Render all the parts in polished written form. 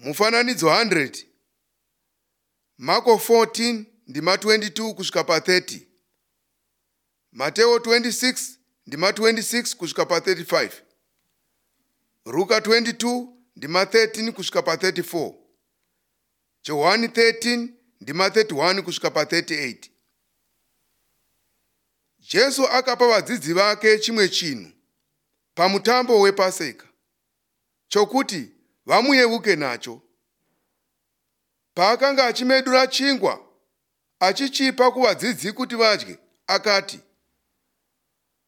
Mufananidzo 100, Mako 14 ndima 22 kusvika pa30, Mateo 26 ndima 26 kusvika pa35, Ruka 22 ndima 13 kusvika pa34, Johani 13 ndima 31 kusvika pa38. Jesu akapa vadzidzi vake chimwe chinhu pamutambo wePaseka chokuti vamuyeuke nacho. Paakanga achimedura chingwa achichipa kuvadzidzi kuti vadye, akati,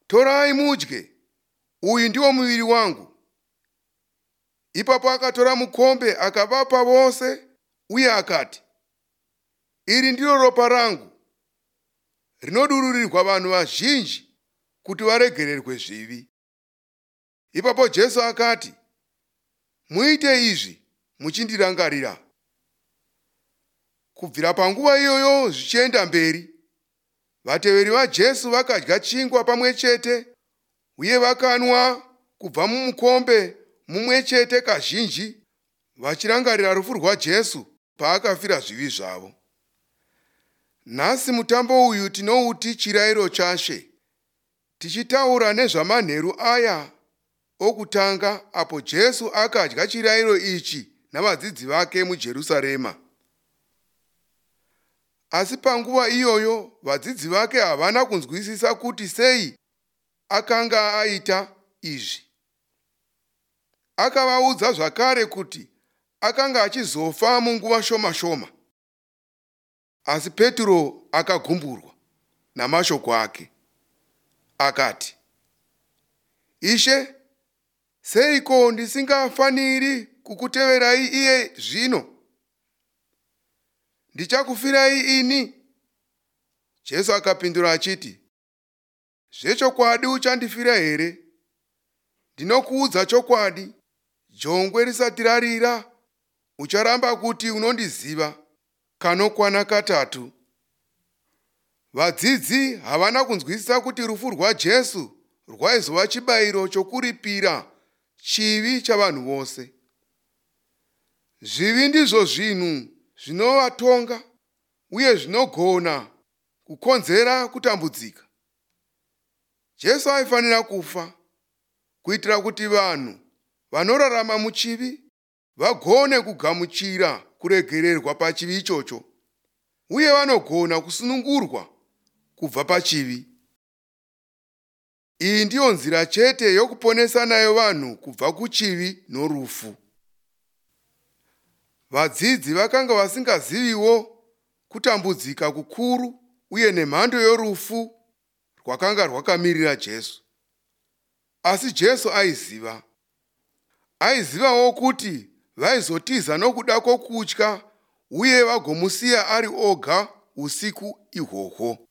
"Torai mudye, uyu ndiwo muviri wangu." Ipapo akatora mukombe akavapa vose uye akati, "Iri ndiro ropa rangu rinodururirwa vanhu vazhinji kuti varegererwe zvivi." Ipapo Jesu akati, "Muite izvi muchindirangarira." Kubvira panguva iyoyo zvichienda mberi, vateveri vaJesu vakadya chingwa pamwe chete uye vakanwa kubva mumukombe mumwe chete kazhinji, vachirangarira rufu rwaJesu paakafira zvivi zvavo. Nhasi mutambo uyu tinouti Chirayiro chaShe, tichitaura nezvamanheru aya okutanga apo Jesu akadya chirayiro ichi navadzidzi vake muJerusarema. Asi panguva iyoyo vadzidzi vake havana kunzwisisa kuti sei akanga aita izvi. Akavaudza zvakare kuti akanga achizofa munguva shoma shoma. Asi Petro akagumburwa namashoko ake. Akati, "Ishe, seiko ndisingafaniri kukuteverai iye zvino? Ndichakufirai ini." Jesu akapindura achiti, "Zvechokwadi uchandifira here? Ndinokuudza chokwadi, jongwe risati rarira, ucharamba kuti unondiziva kanokwana katatu." Vadzidzi havana kunzwisisa kuti rufu rwaJesu rwaizova chibayiro chokuripira chivi chavanhu vose. Zvivi ndizvo zvinhu zvinovatonga uye zvinogona kukonzera kutambudzika. Jesu aifanira kufa kuitira kuti vanhu vanorarama muchivi vagone kugamuchira kuregererwa pachivi ichocho uye vanogona kusunungurwa kubva pachivi. Iyi ndiyo nzira chete yokuponesa nayo vanhu kubva kuchivi norufu. Vadzidzi vakanga vasingaziviwo kutambudzika kukuru uye nemhando yorufu rwakanga rwakamirira Jesu. Asi Jesu aiziva. Aizivawo kuti vaizotiza nokuda kwokutya uye vagomusiya ari oga usiku ihwohwo.